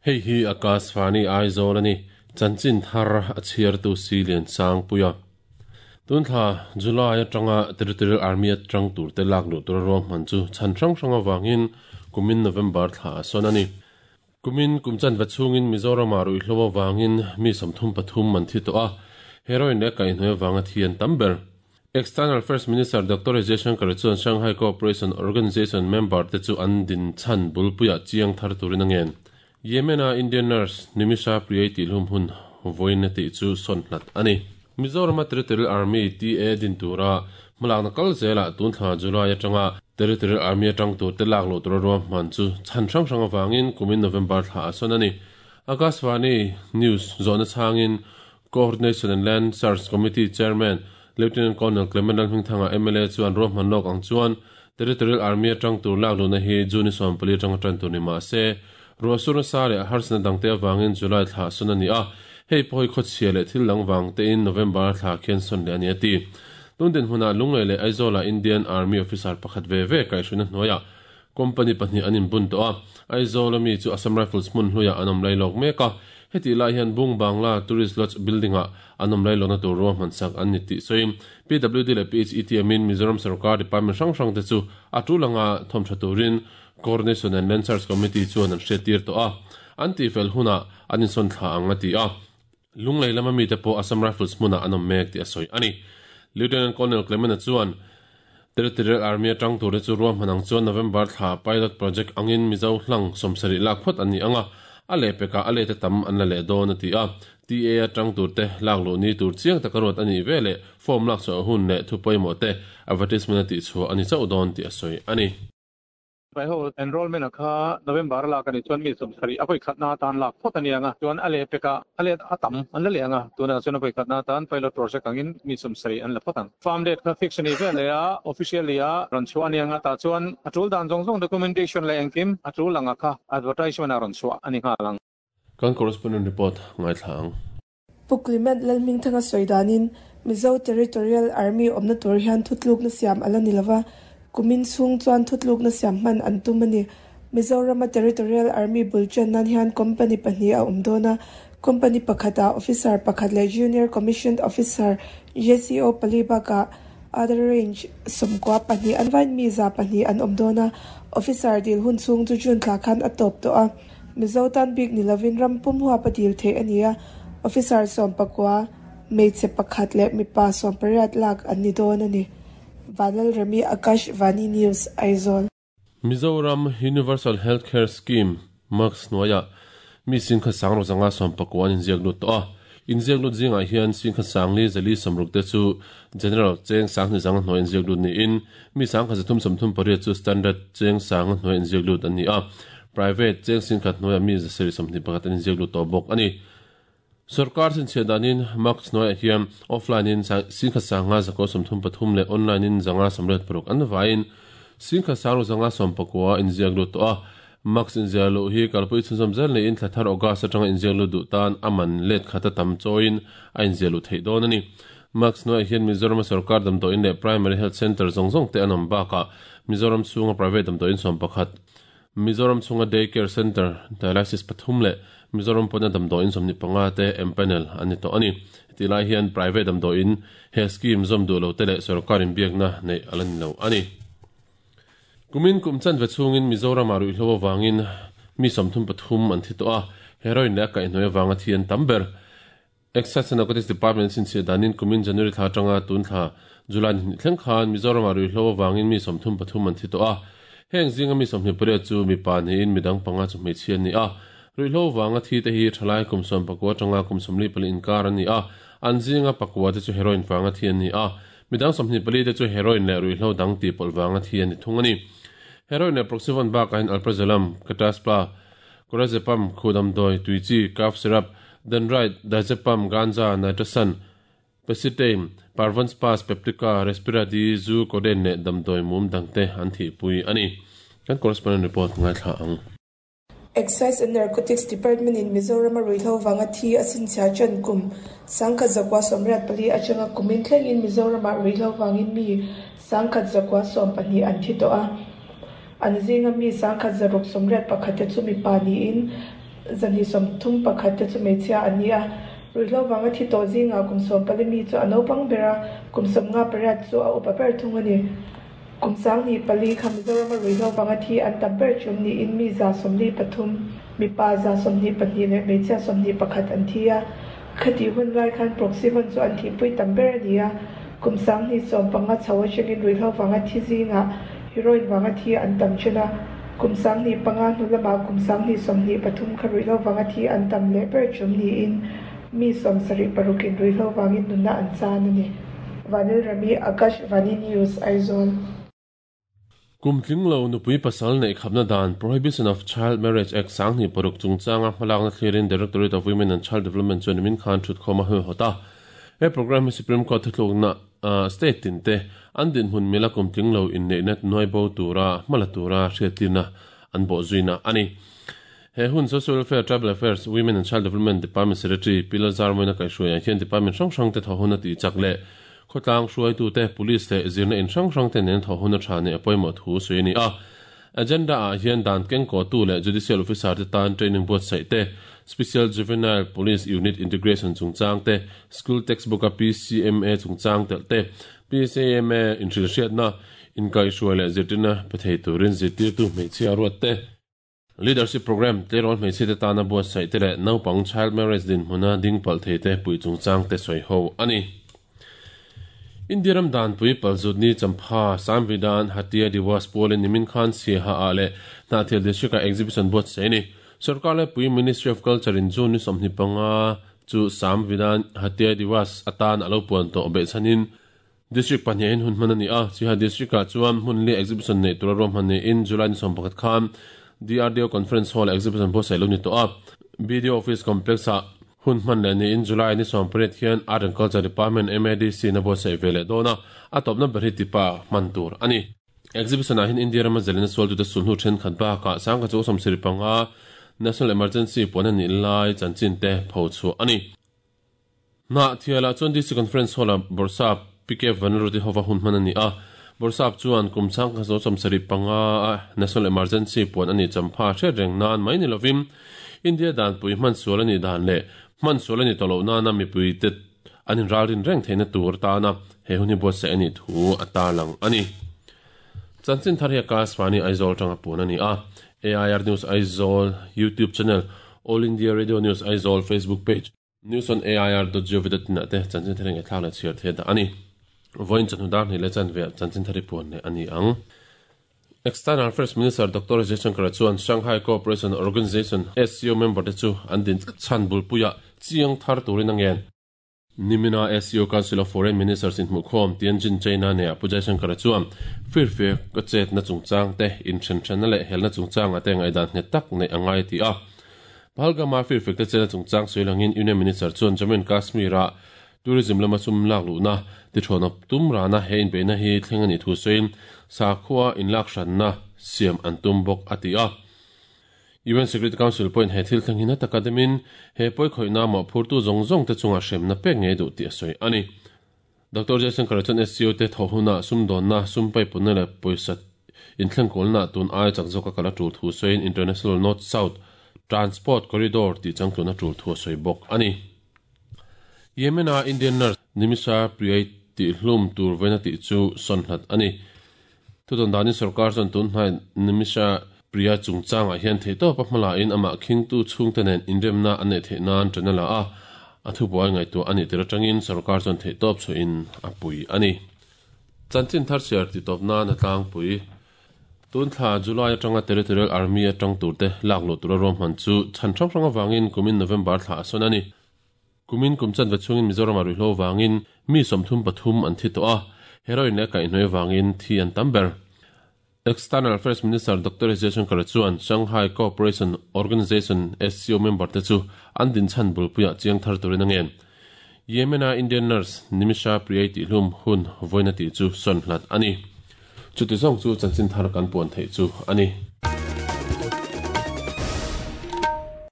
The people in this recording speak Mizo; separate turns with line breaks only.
Hei hi Akashvani Aizawl a ni. Chanchin thar a chhiartu si Lian Sangpuia. Tun thla July atanga Territorial Army atang turte lak luh tura ruahman chu chhan hrang hrang avangin kumin November thla a sawn a ni. Kumin kum chanve chhungin Mizoramah ruihhlo avangin mi 33 an thi tawh a, heroin leh kaihhnawih avanga thi an tam ber. External Affairs Minister Doctor S Jaishankar chuan Shanghai Cooperation Organization member te chu an din chhan bulpuiah chiang thar turin a ngen. Yemen-a Indian nurse Nimisha Priyai tihhlum hun vawiin a tih chu sawn hlat a ni. Mizorama Territorial Army, TA, din tura hmalakna kal zelah tun thla July atanga Territorial Army atang turte lak luh tura ruahman chu chhan hrang hrang avangin kumin November thla a sawn a ni. Akashvani News zawhna chhangin Coordination and Land Search Committee Chairman Lieutenant Colonel Clement Lalhmingthanga mla chuan ruahman lawk ang chuan Territorial Army atang tur lak luhna hi June 14 atanga tan tur ni mah se ruahsur nasa leh harsatna dangte avangin July thla sawn a ni a, hei pawh hi khawchhia leh thil dang vang tein November thla khian sawn leh a ni a ti. Tun dinhmunah Lunglei leh Aizawlah Indian Army officer pakhat ve ve kaihhruina hnuaiah Company pahnih an inbun tawh a, Aizawl ami chu Assam Rifles hmun hluiah an awm lailawk mek a, hetih lai hian Bung Bangla Tourist Lodge building-ah an awm lailawkna tur ruahman sak an ni tih sawiin PWD leh PHETM-in Mizoram sorkar department hrang hrangte chu a tul anga thawm tha turin Coordination and Land Search Committee chuan an hriattir tawh a, an tihfel hunah an insawn thla ang a ti a. Lunglei lama mite pawh Assam Rifles hmunah an awm mek tih a sawi a ni. Lieutenant Colonel Clement-a chuan Territorial Army atang turte chu ruahman ang chuan November thla pilot project angin Mizo hlang 70 lak phawt an ni ang a, a lehpekah a lete tam an la leh dawn a ti a. TA atang turte lak luh ni tur chiang taka ruat a nih veleh form lak chhuah hun leh thu pawimawh te advertisement a tihchhuah a ni chauh dawn tih a sawi a ni.
Vai ho enrollment a kha November a lak a nih chuan mi 70 a vawi khatna atan lak phawt a ni ang a, chuan a leh pekah a let a tam an la leh ang a, tunah chuan a vawi khatna atan pilot project angin mi 70 an la phawt ang. Farm date kha fix a nih vel leh a, officially a rawn chhuah a ni ang a, tah chuan a tul dan zawng zawng documentation leh engkim a tul ang a kha advertisement a rawn chhuah a ni nghal ang.
Kan correspondent report ngaithla ang.
Pu Clement Lalhmingthanga sawi danin Mizo Territorial Army awmna tur hian thutlukna siam a la ni lova, kumin chhung chuan thutlukna siam hman an tum a ni. Mizorama Territorial Army bul ṭan nan hian company pahnih a awm dawn a, company pakhatah officer pakhat leh Junior Commissioned Officer, JCO, pali bakah other range 92 an vain mi 200 an awm dawn a, officer dil hun chhung chu June thla khan a tawp tawh a. Mizo tan bik ni lovin ram pum huap a dil theih a ni a, officer 19, hmeichhe pakhat leh mipa 18 lak an ni dawn a ni. Vanlalremi Akash Vani News, Aizawl.
Mizoram Universal Health Care Scheme, MUCS, hnuaiah mi singkhat sang rawk zanga 19 an inziak lut tawh a. Inziak lut zingah hian singkhat sangli zali 60 te chu General cheng 2000 zanga hnuai inziak lut niin mi 1338 chu Standard cheng 1000 hnuai inziak lut an ni a. Private cheng 10,000 hnuaiah mi 721 an inziak lut tawh bawk a ni. Sorkar chhinchhiah danin MUCS hnuaiah hian offline in 10,000 133 leh online in 586 an vaiin 10,000 519 inziak lut tawh a. MUCS inziah luh hi kalpui chhunzawm zel niin thla thar August atanga inziak lut duh tan a man let khat a tam chawiin a inziah luh theih dawn a ni. MUCS hnuaiah hian Mizorama sorkar damdawiin leh Primary Health Centre zawng zawng te an awm bakah Mizoram chhunga private damdawiin 11, Mizoram chhunga Day Care Centre, Dialysis pathum leh Mizoram pawna damdawiin 25 te empanel an ni tawh a ni. Hetih lai hian private damdawiin he scheme zawm duh lo te leh sorkar inbiakna neih a la ni lo a ni. Kumin kum chanve chhungin Mizoramah ruihhlo avangin mi 33 an thi tawh a, heroin leh a kaihhnawih avanga thi an tam ber. Excise and Narcotics Department chhinchhiah danin kumin January thla atanga tun thla July ni hnih thleng khan Mizoramah ruihhlo avangin mi 33 an thi tawh a. Heng zinga mi 28 chu mipa niin midang panga chu hmeichhia an ni a. Ruihhlo avanga thi te hi thalai kum 19 atanga kum 44 inkar an ni a, an zinga pakua te chu heroin vanga thi an ni a. Midang 24 te chu heroin leh ruihhlo dang tihpawlh vanga thi an ni thung a ni. Heroin leh Proxyvon bakah hian Alprazolam, Catazpa, Clonazepam, Khudamdawi, Tuichi, Cough Syrup, Dendrite, Diazepam, Ganja, Nitrosan, Pacitane, Parvonspas, Peptica, Respiradi, Zu, Codeine leh damdawi mum dangte an thihpui a ni. Kan correspondent report ngaithla ang.
Excise and Narcotics Department in Mizorama ruihhlo vanga thi a chhinchhiah ṭan kum 1984 aṭanga kumin thlengin Mizoramah ruihhlo vangin mi 1112 an thi tawh a. An zinga mi 1681 te chu mipa niin. 231 te chu hmeichhia an ni a. Ruihhlo vanga thi tawh zingah kum 14 mi chu a naupang ber a, kum 58 chu a upa ber thung a ni. Kum 24 kha Mizorama ruihhlo vanga thi an tam ber ṭum niin mi 43, mipa 22 leh hmeichhia 21 an thi a. Khatih hun lai khan Proxyvon chu an thihpui tam ber a ni a, kum 2015 chho atangin ruihhlo vanga thi zingah heroin vanga thi an tam ṭhen a, kum 2005 hnu lamah kum 2023 kha ruihhlo vanga thi an tam leh ber ṭum niin mi 76 in ruihhlo vangin nunna an chan a ni. Vanil Rami, Akashvani News, Aizawl.
Kum tling lo nupui pasal neih khapna dan, Prohibition of Child Marriage Act, 2006 chungchanga hmalakna thlirin Directorate of Women and Child Development chuan nimin khan thutkhawm a hawihawt a. He programme hi Supreme Court thuthlukna state tin te an dinhmun mila kum tling lo inneihna nuai bo tura hmala tura hriattirna an bawhzuina a ni. He hun Social Welfare, Tribal Affairs, Women and Child Development Department Secretary Pi Lalzarmawina kaihhruaiah hian department hrang hrangte thawh hun a tih chak leh khawtlang hruaitute, police leh zirna in hrang hrangte nen thawh hun a tha neih a pawimawh thu sawi a ni a. Agenda ah hian dan kengkawhtu leh judicial officer te tan training buatsaih te, Special Juvenile Police Unit integration chungchang te, school textbook a PCMA chungchang telh te, PCMA inhrilhriatna, inkaihhruai leh zirtirna pe thei turin zirtirtu hmeichhia ruat te, Leadership Programme tleirawl hmeichhia te tana buatsaih te leh naupang child marriage dinhmuna ding palh thei te puih chungchang te sawi ho a ni. India ram danpui Palzutni Champha Samvidhan Hatia Diwas pualin nimin khan Siaha ah leh Hnahthial District ah exhibition buatsaih a ni. Sorkar laipui Ministry of Culture in June ni 25 chu Samvidhan Hatia Diwas atan a lo puan tawh behchhanin District pahnihin hun hman a ni a, Siha District-ah chuan hmun li exhibition neih tura ruahman niin July ni 11 khan DRDO Conference Hall-ah exhibition buatsaih lo ni tawh a. BDO Office Complex-ah hun hman leh niin July ni 18 hian Art and Culture Department, MADC, in a buatsaih ve leh dawn a, a tawpna ber hi tipa hman tur a ni. Exhibition-ah hian India rama zalena sualtute sulhnu thenkhat bakah 1975 National Emergency puan a nih lai chanchin te phochhuah a ni. Hnahthialah chuan DC Conference Hall-ah Bawrhsap PK Vanlalruti hova hun hman a ni a. Bawrhsap chuan kum chhangkhat zo 75 a National Emergency puan a nih champha hriat reng nan mai ni lovin India danpui hman sual a nih dan leh hman sual a nih tawh loh nana mipuite an inralrin reng theihna tur tana he hun hi buatsaih a nih thu a tarlang a ni. Chanchin thar hi Akashvani Aizawl atanga puan a ni a. AIR News Aizawl YouTube channel, All India Radio News Aizawl Facebook page, News on AIR dot gov dot in ah te chanchin thar engah thlak leh chhiar theih dah a ni. Vawiin chawhnu dar hnih leh chanve ah chanchin thar hi puan leh a ni ang. External Affairs Minister Doctor Jaishankar chuan Shanghai Cooperation Organization, SCO, member te chu an din chhan bulpuiah chiang thar turin a ngen. Nimina SCO Council of Foreign Ministers inhmuhkhawm Tianjin, China neah Pu Jaishankar chuan firfiak a chetna chungchang te, inthenhranna leh helna chungchangah te ngaihdan nghet tak neih a ngai a ti a. Pahalgama firfek te chena chungchang sawi langin Union Minister chuan Jammu and Kashmir-ah tourism lama sum lak luhna tithawn a tum rana he inbeihna hi thleng a nih thu sawiin sakhua inlak hranna siam an tum bawk a ti a. UN Security Council pawhin he thil thleng hi na taka demin he pawikhawihna mawhphurtu zawng zawng te chungah hremna pek ngei duh tih a sawi a ni. Doctor Jaishankar chuan SCO te thawh hunah sumdawnna, sum paipunna leh pawisa inthlengkawlnaah tun aia chak zawka kal a tul thu sawiin International North-South Transport Corridor tih changtlun a tul thu a sawi bawk a ni. Yemen-a Indian nurse Nimisha Priyai tihhlum tur vawiin a tih chu sawn hlat a ni. Thudawn danin sorkar chuan tun hnai Nimisha Priya chungchangah hian theihtawpa hmalain amah khingtu chhungte nen inremna an neih theih nan ṭan a la a, a thubuai ngaihtuah a nih tir aṭangin sorkar chuan theihtawp chhuahin a pui a ni. Chanchin thar chhiar tihtawp nan a tlangpui. Tun thla July aṭanga Territorial Army aṭang turte lak luh tura ruahman chu chhan hrang hrang avangin kumin November thla a sawn a ni. Kumin kum chanve chhungin Mizoramah ruihhlo vangin mi 33 an thi tawh a, heroin leh kaihhnawih vangin thi an tam ber. External Affairs Minister Doctor S Jaishankar chuan Shanghai Cooperation Organization, SCO, member te chu an dinchhan bulpuiah chiang thar turin a ngen. Yemen-a Indian nurse Nimisha Priyai tihhlum hun vawiin a tih chu sawn hlat a ni. Chuti zawng chu chanchin thar kan puan theih chu a ni.